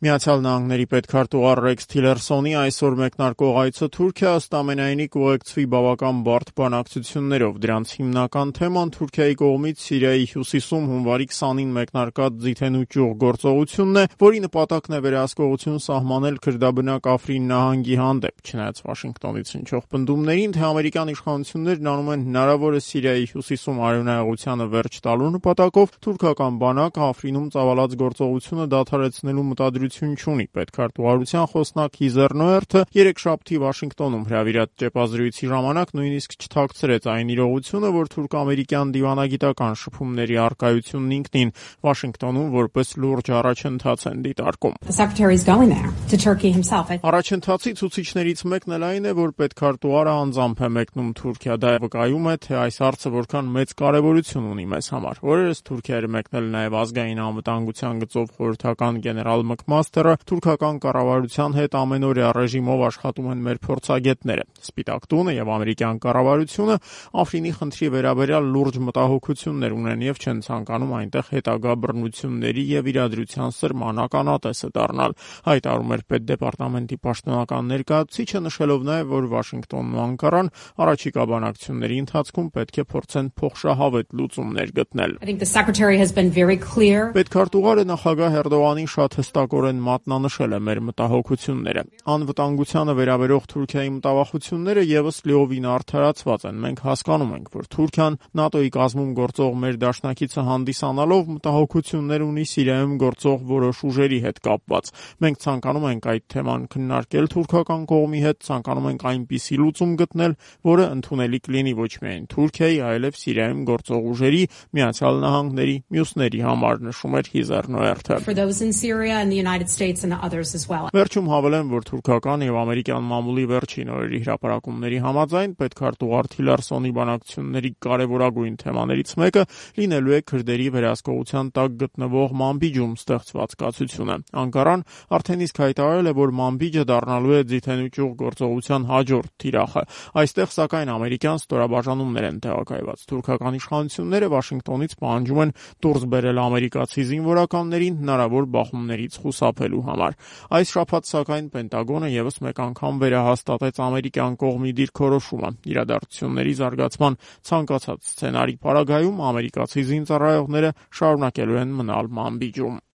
Միացյալ Նահանգների պետքարտուղար Ռեքս Թիլերսոնի այսօր մեկնարկող այցը Թուրքիա ըստ ամենայնի կուղեկցվի բավական բարդ բանակցություններով։ Դրանց հիմնական թեման Թուրքիայի կողմից Սիրիայի հյուսիսում հունվարի 20-ին մեկնարկած ձիթենու ճյուղ գործողությունն է, որի նպատակն է վերահսկողություն սահմանել քրդաբնակ Աֆրին նահանգի հանդեպ։ Չնայած Վաշինգտոնից հնչող պնդումներին, թե ամերիկյան իշխանություններն անում են հնարավորը Սիրիայի հյուսիսում արյունահեղությանը վերջ տալու նպատակով, թուրքական բանակը Աֆրինում ծավալած գործողությունը դադարեցնելու մտադրություն չունի։ Պետքարտուղարության խոսնակ Հիզեր Նոերթը երեքշաբթի Վաշինգտոնում հրավիրած ճեպազրույցի ժամանակ նույնիսկ չթաքցրեց այն իրողությունը, որ թուրք-ամերիկյան դիվանագիտական շփումների առկայությունն ինքնին Վաշինգտոնում որպես լուրջ առաջընթաց են դիտարկում։ Առաջընթացի ցուցիչներից մեկն էլ այն է, որ պետքարտուղարը անձամբ է մեկնում Թուրքիա։ Դա վկայում է, թե այս հարցը որքան մեծ կարևորություն ունի մեզ համար։ Օրերս Թուրքիա էր մեկնել նաև ազգային անվտանգության գծով խորհրդական գեներալ Մակմաստերը, թուրքական կառավարության հետ ամենօրյա ռեժիմով աշխատում են մեր փորձագետները։ Սպիտակ տունը եւ ամերիկյան կառավարությունը Աֆրինի խնդրի վերաբերյալ լուրջ մտահոգություններ ունեն եւ չեն ցանկանում այնտեղ հետագա բռնությունների եւ իրադրության սրման ականատեսը դառնալ, հայտարարում էր պետդեպարտամենտի պաշտոնական ներկայացուցիչը, նշելով նաեւ, որ Վաշինգտոնն ու Անկարան առաջիկա բանակցությունների ընթացքում պետք է փորձեն փոխշահավետ լուծումներ գտնել։ Պետքարտուղարը նախագահ Էրդողանին շատ հստակորեն մատնանշել է մեր մտահոգությունները։ Անվտանգությանը վերաբերող Թուրքիայի մտավախությունները եւս լիովին արդարացված են։ Մենք հասկանում ենք, որ Թուրքիան ՆԱՏՕ-ի կազմում գործող մեր դաշնակիցը հանդիսանալով մտահոգություններ ունի Սիրիայում գործող որոշ ուժերի հետ կապված։ Մենք ցանկանում ենք այդ թեման քննարկել թուրքական կողմի հետ, ցանկանում ենք այնպիսի լուծում գտնել, որը ընդունելի կլինի ոչ միայն Թուրքիայի, այլև Սիրիայում գործող ուժերի, Միացյալ Նահանգների, մյուսների համար, նշում էր Հիզեր Նոերթը։ Վերջում հավելեմ, որ թուրքական եւ ամերիկյան մամուլի վերջին օրերի հրապարակումների համաձայն պետքարտուղար Թիլերսոնի բանակցությունների կարևորագույն թեմաներից մեկը լինելու է քրդերի վերահսկողության տակ գտնվող Մանբիջում ստեղծված կացությունը։ Անկարան արդեն իսկ հայտարարել է, որ Մանբիջը դառնալու է ձիթենու ճյուղ գործողության հաջորդ թիրախը։ Այստեղ սակայն ամերիկյան ստորաբաժանումներ են տեղակայված։ Թուրքական իշխանությունները Վաշինգտոնից պահանջում են դուրս բերել ամերիկացի զինվորականներին հնարավոր բախումներից խուսափելու համար։ Այս շաբաթ սակայն Պենտագոնը եւս մեկ անգամ վերահաստատեց ամերիկյան կողմի դիրքորոշումը։ Իրադարձությունների զարգացման ցանկացած սցենարի պարագայում ամերիկացի զինծառայողները շարունակելու են մնալ Մանբիջում։